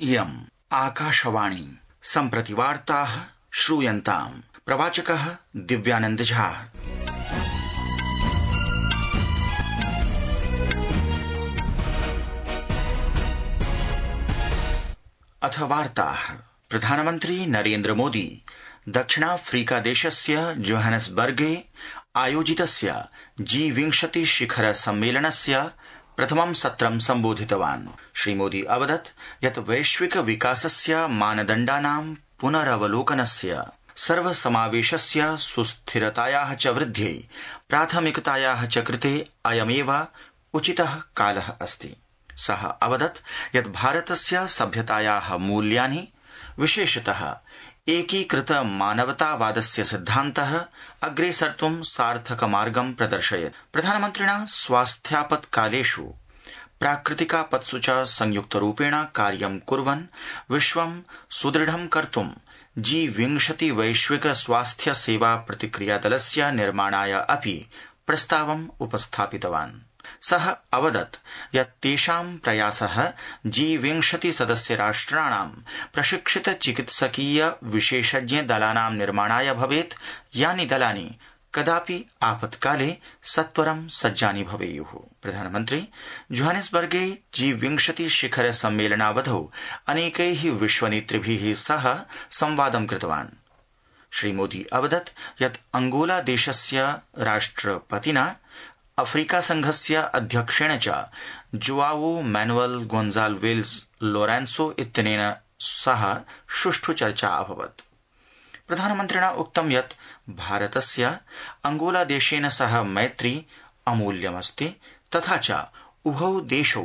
इयम् आकाशवाणी सम्प्रति वार्ताः श्रूयन्ताम्। प्रवाचकः दिव्यानंद झा। अथ वार्ताः। प्रधानमन्त्री नरेन्द्र मोदी दक्षिणाफ्रीका देशस्य जोहानेस्बर्गे आयोजितस्य G20 शिखर सम्मेलनस्य प्रथमं सत्रं सम्बोधितवान्। श्रीमोदी अवदत् यत् वैश्विक विकासस्य मानदण्डानां पुनरवलोकनस्य सर्वसमावेशस्य सुस्थिरतायाः च वृद्ध्यै प्राथमिकतायाः च कृते अयमेव उचितः कालः अस्ति। सः अवदत् यत् भारतस्य सभ्यतायाः मूल्यानि विशेषतः एकीकृत मानवतावादस्य सिद्धान्तः अग्रे सर्तुं सार्थक मार्गं प्रदर्शयत्। प्रधानमन्त्रिणा स्वास्थ्यापत्कालेषु प्राकृतिकापत्सु च संयुक्तरूपेण कार्यं कुर्वन् विश्वं सुदृढं कर्तुं G20 वैश्विक स्वास्थ्य सेवा प्रतिक्रियादलस्य निर्माणाय अपि प्रस्तावम् उपस्थापितवान्। सः अवदत् यत् तेषां प्रयासः G20 सदस्य राष्ट्राणां प्रशिक्षित चिकित्सकीय विशेषज्ञ दलानां निर्माणाय भवेत्, यानि दलानि कदापि आपत्काले सत्वरं सज्जानि भवेयुः। प्रधानमन्त्री जोहानेस्बर्गे G20 शिखर सम्मेलनावधौ अनेकैः विश्वनेतृभिः सह संवादं कृतवान्। श्रीमोदी अवदत् यत् अंगोला देशस्य राष्ट्रपतिना अफ्रीका संघस्य अध्यक्षेण च जोआवो मैनुअल गोन्जाल्वेज लोरेंसो इत्यनेन सह सुष्ठु चर्चा अभवत्। प्रधानमन्त्रिणा उक्तं यत् भारतस्य अंगोला देशेन सह मैत्री अमूल्यमस्ति, तथा च उभौ देशौ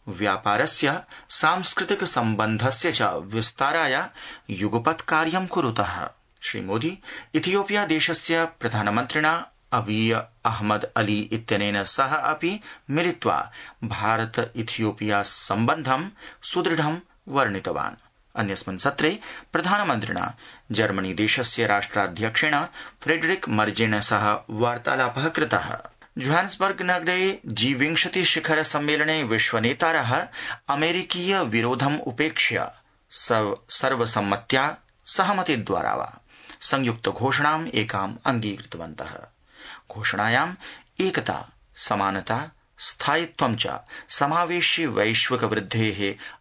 व्यापारस्य सांस्कृतिक सम्बन्धस्य च विस्ताराय युगपत् कार्यं कुरुतः। श्रीमोदी इथियोपिया देशस्य प्रधानमन्त्रिणा अबीय अहमद अली इत्यनेन सह अपि मिलित्वा भारत इथियोपिया सम्बन्धं सुदृढं वर्णितवान्। अन्यस्मिन् सत्रे प्रधानमन्त्रिणा जर्मनी देशस्य राष्ट्राध्यक्षेण फ्रेडरिक मर्जेन सह वार्तालापः कृतः। जोहानेस्बर्ग नगरे G20 शिखर सम्मेलने विश्वनेतारः अमेरिकीय विरोधम् उपेक्ष्य सर्वसम्मत्या सहमतिद्वारा वा संयुक्त घोषणाम् एकाम् अङ्गीकृतवन्तः। घोषणायाम् एकता, समानता, स्थायित्वं च समावेशि वैश्विक वृद्धेः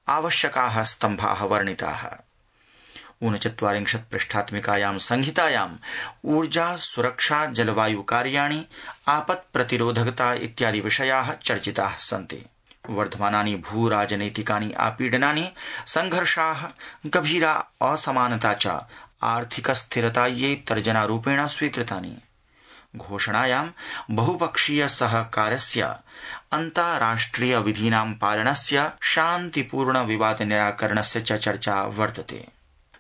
आवश्यकाः स्तम्भाः वर्णिताः। 39 पृष्ठात्मिकायां संहितायाम् ऊर्जा, सुरक्षा, जलवायु कार्याणि, आपत् प्रतिरोधकता इत्यादि विषयाः चर्चिताः सन्ति। वर्धमानानि भूराजनैतिकानि आपीडनानि, संघर्षाः, गभीरा असमानता च आर्थिक स्थिरतायै तर्जनारूपेण स्वीकृतानि। घोषणायां बहुपक्षीय सहकारस्य, अन्ताराष्ट्रिय विधीनां पालनस्य, शान्तिपूर्ण विवाद निराकरणस्य च चर्चा वर्तते।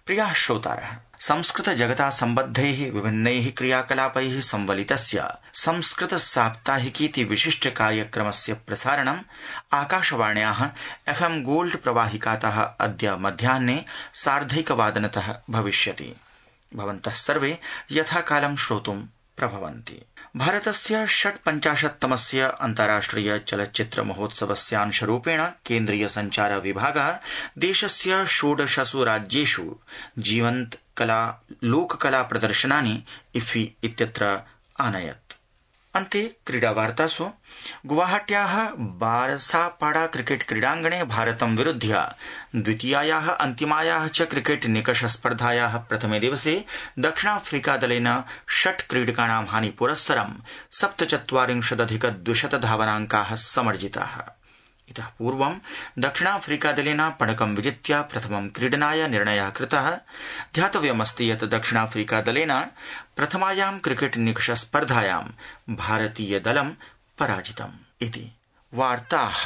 प्रियाः श्रोतारः, संस्कृत जगता सम्बद्धैः विभिन्नैः क्रियाकलापैः संवलितस्य संस्कृत साप्ताहिकीति विशिष्ट कार्यक्रमस्य प्रसारणम् आकाशवाण्याः FM गोल्ड प्रवाहिकातः अद्य मध्याह्ने 1:30 भविष्यति। भवन्तः सर्वे यथाकालं श्रोतुं प्रभवन्ति। भारतस्य 56तमस्य अन्ताराष्ट्रिय चलच्चित्र महोत्सवस्यांशरूपेण केन्द्रीय संचार विभागः देशस्य 16 राज्येषु जीवन्त कला लोककला प्रदर्शनानि इफी इत्यत्र आनयत्। अन्ते क्रीडावार्तासु गुवाहाट्याः बारसापाडा क्रिकेट क्रीडाङ्गणे भारतं विरुध्य द्वितीयायाः अन्तिमायाः च क्रिकेट निकष स्पर्धायाः प्रथमे दिवसे दक्षिणाफ्रीकादलेन 6 क्रीडकाणां हानिपुरस्सरं 47,200 धावनाङ्काः समर्जिताः। इतः पूर्वं दक्षिणाफ्रीकादलेन पणकं विजित्य प्रथमं क्रीडनाय निर्णयः कृतः। ध्यातव्यमस्ति यत् दक्षिणाफ्रीकादलेन प्रथमायां क्रिकेट निकष स्पर्धायां भारतीयदलं पराजितम् इति। वार्ताः